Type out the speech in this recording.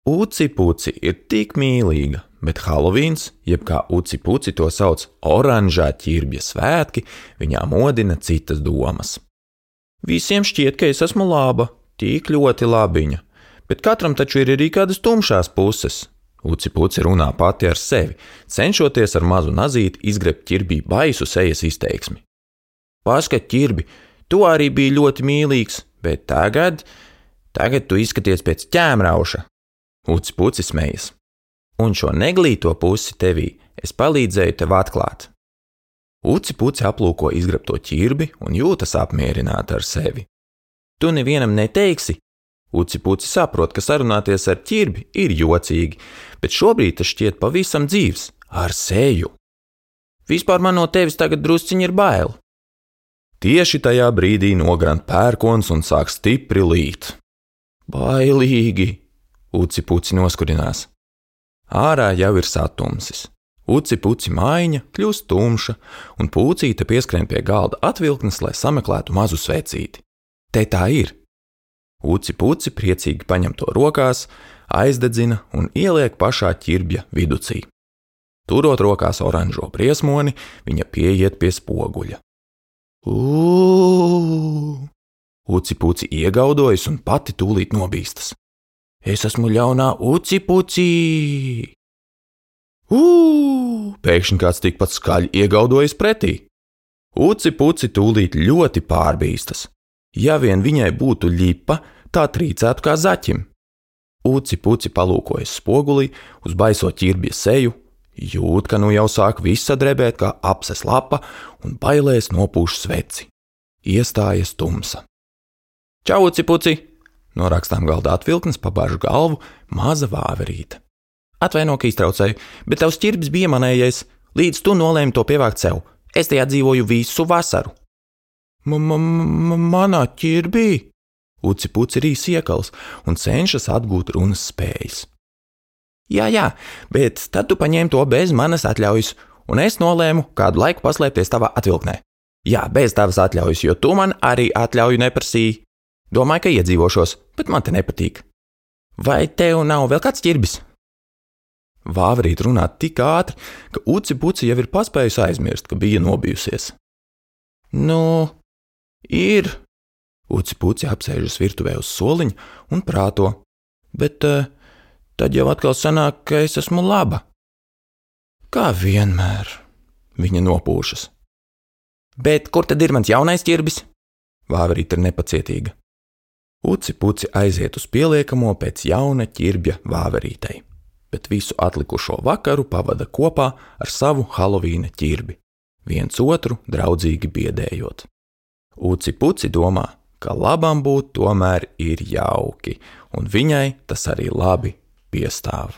Uci Puci ir tik mīlīga, bet Halovīns, jeb kā Uci Puci to sauc oranžā ķirbja svētki, viņā modina citas domas. Visiem šķiet, ka es esmu laba, tik ļoti labiņa, bet katram taču ir arī kādas tumšās puses. Uci Puci runā pati ar sevi, cenšoties ar mazu nazīti izgrebt ķirbī baisu sejas izteiksmi. Paskat, ķirbi, tu arī biji ļoti mīlīgs, bet tagad tu izskaties pēc ķēmrauša. Uci Puci smejas. Un šo neglīto pusi tevī es palīdzēju tev atklāt. Uci Puci aplūko izgrabto ķirbi un jūtas apmierināta ar sevi. Tu nevienam neteiksi? Uci Puci saprot, ka sarunāties ar ķirbi ir jocīgi, bet šobrīd tas šķiet pavisam dzīvs, ar seju. Vispār man no tevis tagad drusciņi ir bail. Tieši tajā brīdī nogrant pērkons un sāk stipri līt. Bailīgi! Uci Puci noskurinās. Ārā jau ir satumsis. Uci Puci mājiņa kļūst tumša, un Pucīte pieskrien pie galda atvilknes, lai sameklētu mazu svecīti. Te tā ir. Uci Puci priecīgi paņem to rokās, aizdedzina un ieliek pašā ķirbja viducī. Turot rokās oranžo briesmoni, viņa pieiet pie spoguļa. Uci Puci iegaudojas un pati tūlīt nobīstas. Es esmu ļaunā Uci Puci! Pēkšņi kāds tikpat skaļi iegaudojas pretī. Uci Puci tūlīt ļoti pārbīstas. Ja vien viņai būtu ļipa, tā trīcētu kā zaķim. Uci Puci palūkojas spogulī uz baiso ķirbja seju, jūt, ka nu jau sāk visa drebēt kā apses lapa un bailēs nopūš sveci. Iestājas tumsa. Čau, Uci Puci! No rakstām galda atvilknes pabāžu galvu maza vāverīte. Atvaino, ka iztraucēju, bet tavs ķirbis bija manējais, līdz tu nolēmi to pievākt sev. Es tajā dzīvoju visu vasaru. Manā ķirbī? Uci Puci rīs iekals un cenšas atgūt runas spējas. Jā, bet tad tu paņēmi to bez manas atļaujas, un es nolēmu kādu laiku paslēpties tavā atvilknē. Jā, bez tavas atļaujas, jo tu man arī atļauju neprasīji. Domāju, ka iedzīvošos, bet man te nepatīk. Vai tev nav vēl kāds ķirbis? Vāverīt runā tik ātri, ka Uci Puci jau ir paspējusi aizmirst, ka bija nobijusies. Nu, ir. Uci Puci apsēžas virtuvē uz soliņa un prāto, bet tad jau atkal sanāk, ka es esmu laba. Kā vienmēr, viņa nopūšas. Bet kur tad ir mans jaunais ķirbis? Vāverīt ir nepacietīga. Uci Puci aiziet uz pieliekamo pēc jauna ķirbja vāverītei, bet visu atlikušo vakaru pavada kopā ar savu Halovīna ķirbi, viens otru draudzīgi biedējot. Uci Puci domā, ka labam būt tomēr ir jauki, un viņai tas arī labi piestāv.